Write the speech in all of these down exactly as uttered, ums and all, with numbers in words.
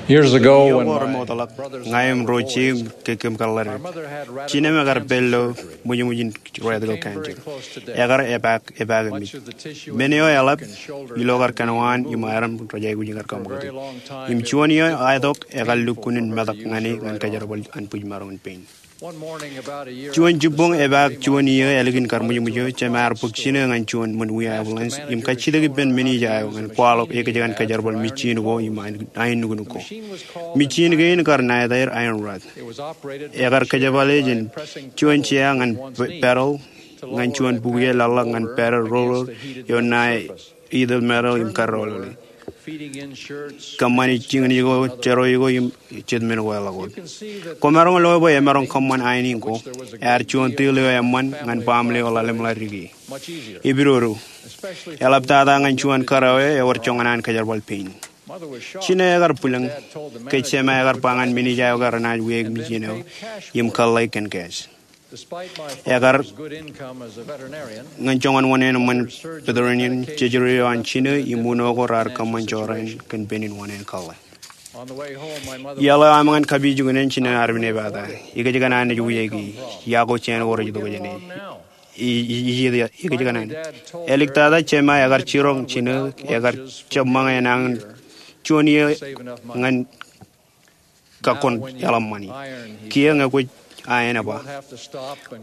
Years ago, iyō ko remootḷọk, ña im ro jeiū im kōm kōḷḷāri. Jinōm ekar pād ilo ṃwijṃwijin rectal cancer. Ekar epaak, epaak eṃōj. Men eo eḷap, ilo kar kōnwaan im aram rej aikuj in kar kaṃṃoolol. Im juon iiō aetok ekar lukkuun in metak ñan e ñan kōjerbal an bwij maroñ in pein. Juon jibboñ epaak juon iiō ālikin kar ṃwijṃwij eo, jema ear bōk jinō ñan juon ṃōn wia ambulance im kajjitōk ippān men eo ej aō ñan kwaḷọk ekōjkan kōjerbal mejin ko im ain, ain nuknuk ko. Mejin kein kar naetaer iron rod. Ekar kōjepale jān juon jea ñan pe-, pedal ñan juon bukwi eo laḷḷọk ñan pedal roller eo ṇae iitōl metal im kar roller. Kōṃṃani jikin eo, jero eo im jet men ko eḷak wōt. Kwōmaroñ lo bwe emaroñ kōṃṃan ain in ko. Ear juon tōl eo eṃṃan ñan baaṃle eo ḷalem ḷadik e. Epidodo. Eḷaptata ñan juon kōrā eo ewōr joñan an kōjerbal pein. Jinō ekar bwilōñ ke jema ekar ba ñan men eo aō ke renaaj wiaik mejin eo im kōḷḷāik kōn cash. Ekar ñan joñan wōṇāān eṃṃan veterinarian, jejure eo an jinō im uno ko raar kōṃṃan jorrāān kōn pein wōṇāān kōḷḷā. Iaḷ eo aṃ ñan kapijuknen, jinō armej ej pata, ekōjkan an naaj wiaiki, yako jān ko rej itok jāne. I, i, i, i, ekōjkan an. Āliktata jema ekar jiroñ jinō, ekar jab ṃōñā enañin juon iiō ñan kakkon eḷap ṃani. Kiiō ñe kwōj aenō ba,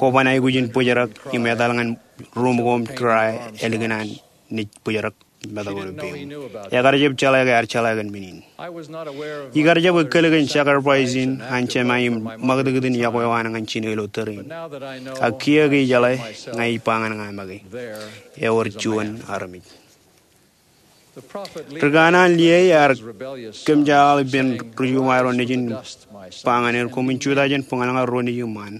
kwōban aikuj in bōjrak im etal ñan ruuṃ ko im dry ālikin an naaj bōjrak metak eo ilo peiṃ. Ekar jab jeḷā ke ear jeḷā kōn men in. Ikar jab ekkōl kōn sacrifice in an jema im ṃakūtkūt in yokwe eo an ñan jinō ilo tōre in. Ak kiiō ke ijeḷā, ña ij ba ñan ña make, ewōr juon armej. Ri kanaan Liai ear kōmjeḷāḷọk ippān ri-Jumai ro nejin, ba ñan er, koṃwin jutak jān bōñal ñan ro nejūṃaan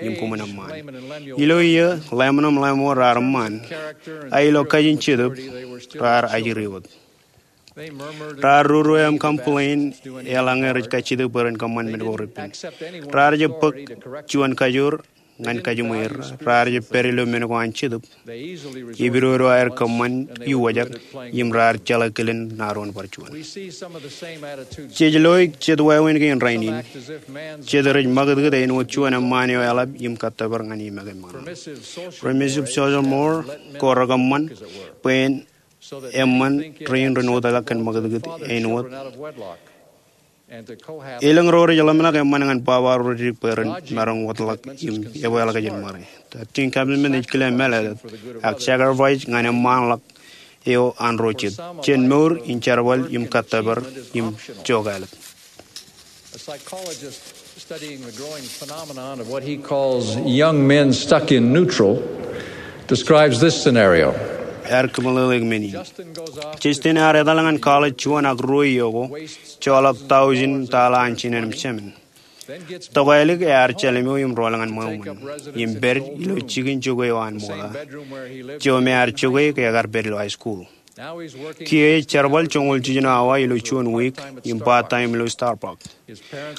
im koṃwin eṃṃaan. Ilo iiō, Leman im Lemuel raar eṃṃaan, a ilo kajin Jetōb raar ajri wōt. Raar ruru im complain, eḷaññe rej kajjitōk bwe ren kōṃṃan men ko repen. Raar jab bōk juon kajoor ñan kajiṃwe er, raar jab pād ilo men ko an Jetōb. Epidodo aer kōṃṃan iwōjak im raar jeḷā kilen ṇa doon bar juon. Jej loe jet wāween kein rainin. Jet rej ṃakūtkūt āinwōt juon eṃṃaan eo eḷap im kōttōpar ñan e make ṃaan. Permissive social more ko rekōṃṃan bwe en eṃṃan rein ren wōtlọk kōn ṃakūtkūt āinwōt. Elōñ ro rej ḷōmṇak eṃṃan ñan baba ro rej dik bwe ren maroñ wōtlọk im ebweḷọk jān ṃare. Thirteen commandment ej kile mālōtlōt, ak sacrifice ñan eṃṃanḷọk eo an ro jet, jān mour in jerbal im kōttōpar im jokālōt. A psychologist studying the growing phenomenon of what he calls young men stuck in neutral describes this scenario. Ear kōmeḷeḷeik men in. Justin ear etal ñan college juon ak ruo iiō ko, joḷọk tọujin tala an jinen im jemān. Tokālik ear jeḷimo im rọọl ñan ṃweo ṃōn, im pād ilo jikin jokwe eo an ṃokta, jo me ear jokwe ke ekar pād ilo high school. Kiiō ej jerbal joñoul jiljino awa ilo juon wiik im part-time ilo Starbucks.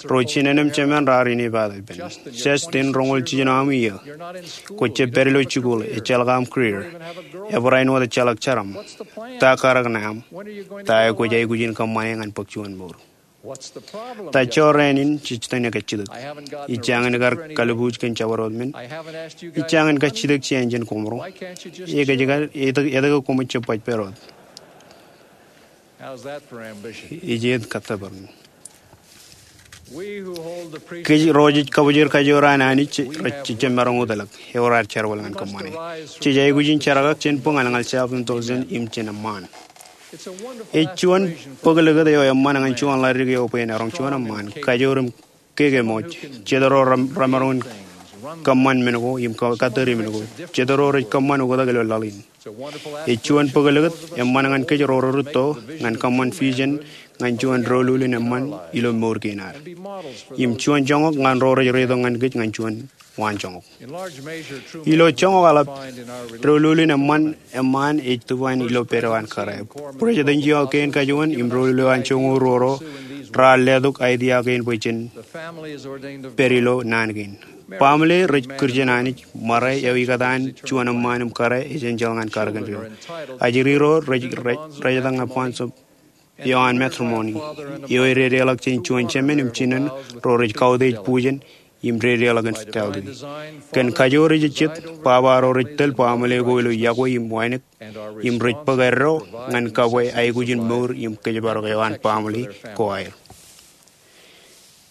Ro jinen im jemān raar inepata ippān. Justin, roñoul jiljino aṃ iiō. Kwō jab pād ilo jikuuḷ, ejjeḷọk aṃ career. Ebarāinwōt ejjeḷọk jeram. Ta karōk ṇe aṃ? Ta eo kwōj aikuj in kōṃṃane ñan bōk juon mour? Ta jorrāān in jej tōn e kajjitōk? Ij jañin kar kalbuuj kōn jabdewōt men. Ij jañin kajjitōk jān ijin koṃro. Ekōjkan, etke, etke koṃij jab baj pād wōt? Ej āinwōt kōttōpar in. Kōj ro jej kabōjrak kajoor an Anij, rej jab maroñ wōtlọk, ewōr ad jerbal ñan kōṃṃane. Jej aikuj in jerkakpeje jān bōñal ñan self-indulgence im jān eṃṃaan. Ej juon bōk likūt eo eṃṃan ñan juon ḷadik eo bwe en eroñ juon eṃṃaan, kajoor im kekemooj, jet ro rem-, remaroñ in kōṃṃan men ko im ka-, kattōri men ko, jet ro rej kōṃṃan oktak ilo laḷ in. Ej juon bōk likūt eṃṃan ñan kōj ro rerūtto ñan kōṃṃan vision ñan juon doulul in eṃṃan ilo mour kein ad. Im juon joñak ñan ro rej reitok ñan kōj ñan juon waanjoñak. Ilo joñak eḷap, doulul in eṃṃan eṃṃaan ej tūbwan ilo pād eo an kōrā. Bwij eo an joñak kein kajuon im doulul eo an joñoul ruo ro raar letok idea kein bwe jen pād ilo naan kein. Baaṃle rej kūr jān Anij, ṃare eo ikōtaan juon eṃṃaan im kōrā ej enjeḷ ñan karōk in ro. Ajri ro rej, rej, rej etal ñan Bonds of eo an matrimony, eo ededeḷọk jān juon jemān im jinen ro rej kautiej būjān im dedeḷọk infidelity. Kōn kajoor ejejjet, baba ro rej tōl baaṃle ko ilo yokwe im wānōk, im rej bōk eddo ñan kabwe aikuj in mour im kōjparok eo an baaṃle ko aer.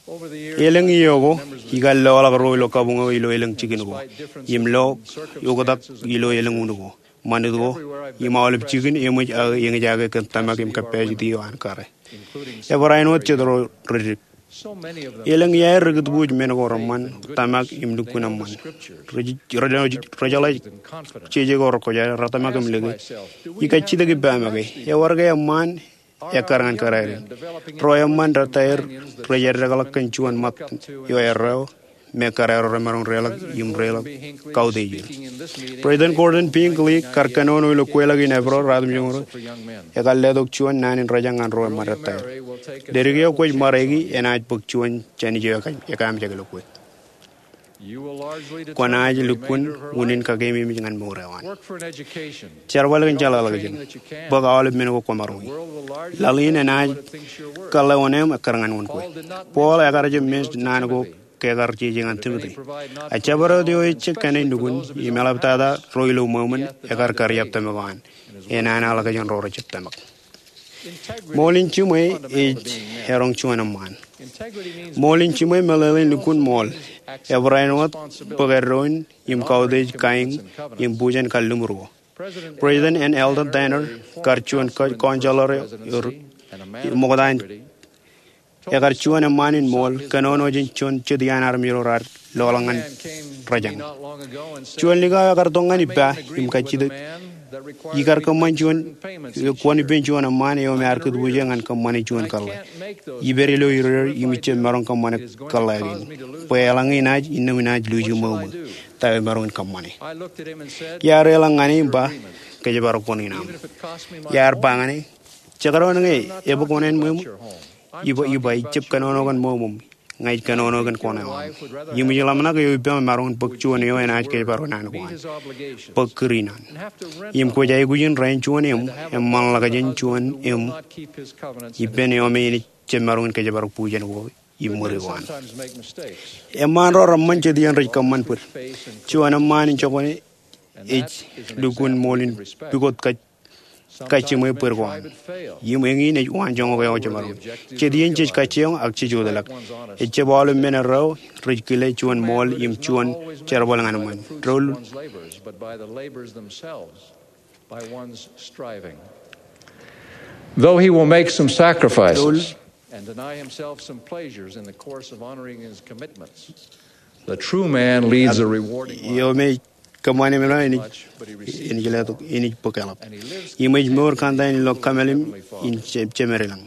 Elōñ iiō ko, ikar loḷọk ro ilo kabuñ eo ilo elōñ jikin ko, im lo oktak ilo elōñ un ko, ṃanit ko, im aolep jikin eṃōj aō eñjake kōn tōmak im capacity eo an kōrā. Ebarāinwōt jet ro rej dik. Elōñ iaer rekūtbuuj men ko reṃṃan, tōmak im lukkuun eṃṃan. Rej, rej, rej jeḷā jeje ko rekwōjarjar, retōmak im lōke, ikar jitōk ippa make, ewōr ke eṃṃaan ekkar ñan kōrā in. Ro eṃṃan retaer rej eddekḷọk kōn juon ṃōt eo erreo me kōrā ro remaroñ deḷọk im deḷọk kautiej er. President Gordon B. Hinckley kar kōnono ilo kweilọk in Eprōḷ ruatimjuonñoul, ekar letok juon naan in rōjañ ñan ro eṃṃan retaer. Ledik eo kwōj ṃareiki enaaj bōk juon jān ijo ekaamjek ilo kwe. Kwōnaaj lukkuun unin kakeememej ñan mour eo an. Jerbal kōn jeḷāḷọkjeṇ. Bōk aolep men ko kwōmaroñ. Laḷ in enaaj kōḷḷā wōṇāān ekkar ñan wōn kwe. Paul ekar jab men naan ko ke ekar jeje ñan Timote. A jabdewōt eo ejjab kōṇaan nukun, im eḷaptata ro ilo ṃweo ṃōn ekar kariab tōmak eo an, enana ḷọk jān ro rejjab tōmak. Ṃool in jiṃwe ej eroñ juon eṃṃaan. Ṃool in jiṃwe meḷeḷein lukkuun ṃool, ebarāinwōt bōk eddo in im kautiej kain im būjān kalliṃur ko. President N. Eldon Tanner kar juon ko-, counselor eo, eo ṃokta in, ekar juon eṃṃaan in ṃool, kōnono jān juon jet iaan armej ro raar loḷọk ñan rōjañ. Juon likao ekar tok ñan ippa im kajjitōk, ikar kōṃṃan juon, kwōn ippān juon eṃṃaan eo me ear kūtbuuje ñan kōṃṃane juon kōḷḷā. Ipād ilo irooj im ijjab maroñ kōṃṃane kōḷḷā kein. Bwe eḷaññe inaaj, innām inaaj luuji ṃweo ṃōn ta eo imaroñ in kōṃṃane. Iar eḷaññe ñan e im ba, kōjparok wōṇāān aṃ. Iar ba ñan e, jekdọọn ñe ebōk wōṇāān ṃweo ṃōn, iba, iba, ijjab kōnono kōn ṃweo ṃōn, ña ij kōnono kōn kōṇaan eo aṃ. Im ij ḷōmṇak eo ippaṃ emaroñ in bōk juon eo enaaj kōjparok naan ko an. Bōk kūr in an. Im kwōj aikuj in rein juon eṃ, eṃṃanḷọk jān juon eṃ, ippān eo me enaaj jab maroñ in kōjparok būjān ko im ṃuri ko an. Eṃṃaan ro reṃṃan jet iien rej kōṃṃan bōd. Juon eṃṃaan in jokwane ej lukkuun ṃool in pukot kaj-, kajjiṃwe bōd ko an. Im eñin ej waanjoñak eo jemaroñ. Jet iien jej kajjioñ ak jej wōtlọk. Ejjab aolep men erreo rej kile juon ṃool im juon jerbal ñan eṃṃan. Doul. Though he will make some sacrifices and deny himself some pleasures in the course of honoring his commitments, the true man leads a rewarding life. Eo me kōṃṃane men eo enaaj, enaaj letok, enaaj bōk eḷap. Im ej mour kōn ta in ilo kōmālim in je-, jemād ilañ.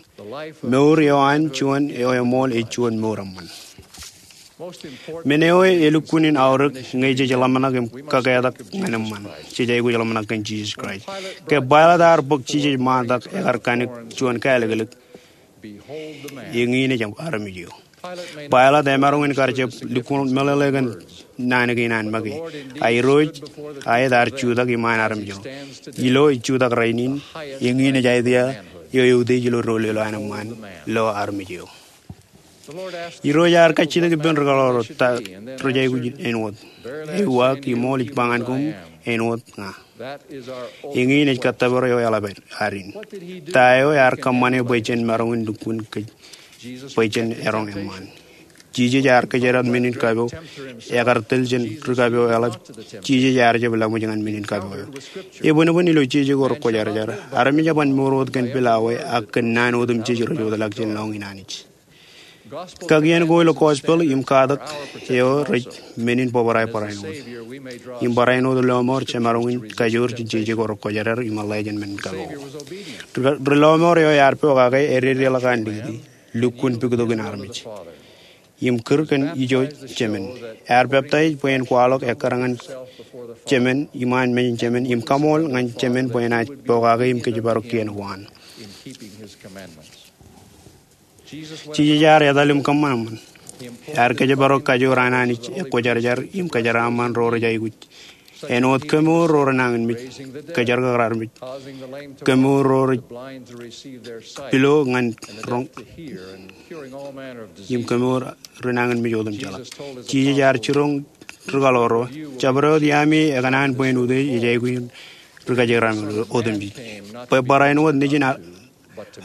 Mour eo an juon eo eṃool ej juon mour eṃṃan. Men eo elukkuun in aorōk ñe jej ḷōmṇak im kaketak ñan eṃṃan, jej aikuj ḷōmṇak kōn Jisōs Kraist. Ke Pailat ear bōk Jisōs ṃaantak ekar kanik juon kālōklōk, eñin ej armej eo. Pailat emaroñ in kar jab lukkuun meḷeḷe kōn naan kein an make. A Irooj, aet ear jutak iṃaan armej eo. Ilo ej jutak rainin, eñin ej aet ia eo eutiej ilo doulul eo an eṃṃaan lo armej eo. Irooj ear kajjitōk ippān rūkaḷoor eo ta rej aikuj āinwōt. Ewi ak imool ij ba ñan koṃ, āinwōt ña. Eñin ej kōttōpar eo eḷap ad in. Ta eo ear kōṃṃane bwe jen maroñ in lukkuun kōj bwe jen eroñ eṃṃaan. Jisōs ear kōjdat men in kapo, ekar tōl jān ri kapo eḷap. Jisōs ear jab laṃōj ñan men in kapo eo. Ebōnbōn ilo jeje ko rekwōjarjar, armej eban mour wōt kōn pilawā ak kōn naan otemjej rej wōtlọk jān lọñiin Anij. Kakien ko ilo gospel im katak eo rej men in bōbrae barāinwōt. Im barāinwōt lọmọọr jemaroñ in kajoor jān jeje ko rekwōjarjar im ḷe jān men in kapo. Ri-, ri lọmọọr eo ear pokake ededeḷọk an likūti, lukkuun puktokin armej. Im kūr kōn ijo Jemān. Ear peptaij bwe en kwaḷọk ekkar ñan Jemān, iṃaan mejān Jemān, im kaṃool ñan Jemān bwe enaaj pokake im kōjparok kien ko an. Jisōs ear etal im kōṃṃan eṃṃan. Ear kōjparok kajoor an Anij ekwōjarjar im kōjeraaṃṃan ro rej aikuj Āinwōt kemour ro renañinmej, kōjerbal armej, kemour ro rej pilo ñan roñ, im kemour renañinmej otemjeḷọk. Jisōs ear jiroñ ri kaḷoor ro, jabdewōt iaami ekōṇaan bwe en utiej ej aikuj in ri kōjerbal armej otemjej. Bwe barāinwōt eo nejin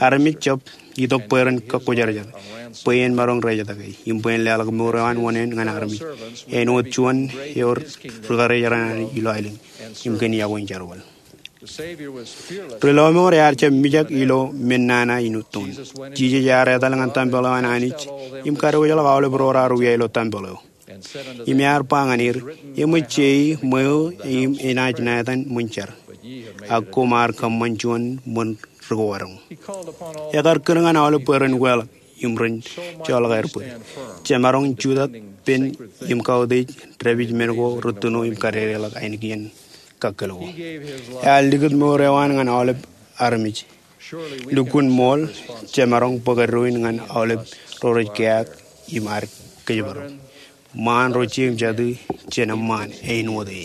armej jab itok bwe ren kōkkujarjar, bwe en maroñ rejjitōk e, im bwe en leḷọk mour eo an wōṇāān ñan armej, āinwōt juon eo ri karijer an Anij ilo aelōñ, im kōn iọkwe in jerbal. Ri lọmọọr ear jab mijak ilo men nana in uton. Jisōs ear etal ñan tempel eo an Anij im kadiwōjḷọk aolep ro raar wia ilo tempel eo. Im ear ba ñan er, eṃōj jei ṃweo im enaaj naan ṃōn jar, ak koṃ ar kōṃṃan juon ṃōn ri kōwadoñ. Ekar kūr ñan aolep bwe ren weḷọk im ren joḷọk aer bōd. Jemaroñ jutak pen im kautiej dāpij men ko rūttuno im kadedeḷọk ainikien kakkōl ko. Ear likūt mour eo an ñan aolep armej. Lukkuun ṃool, jemaroñ bōk eddoin ñan aolep ro rej keaak im ad kōjparok. Ṃaan ro jeiū im jatū, jen eṃṃaan āinwōt e.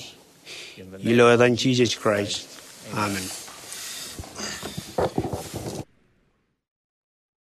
Ilo etan Jisōs Kraist, amen.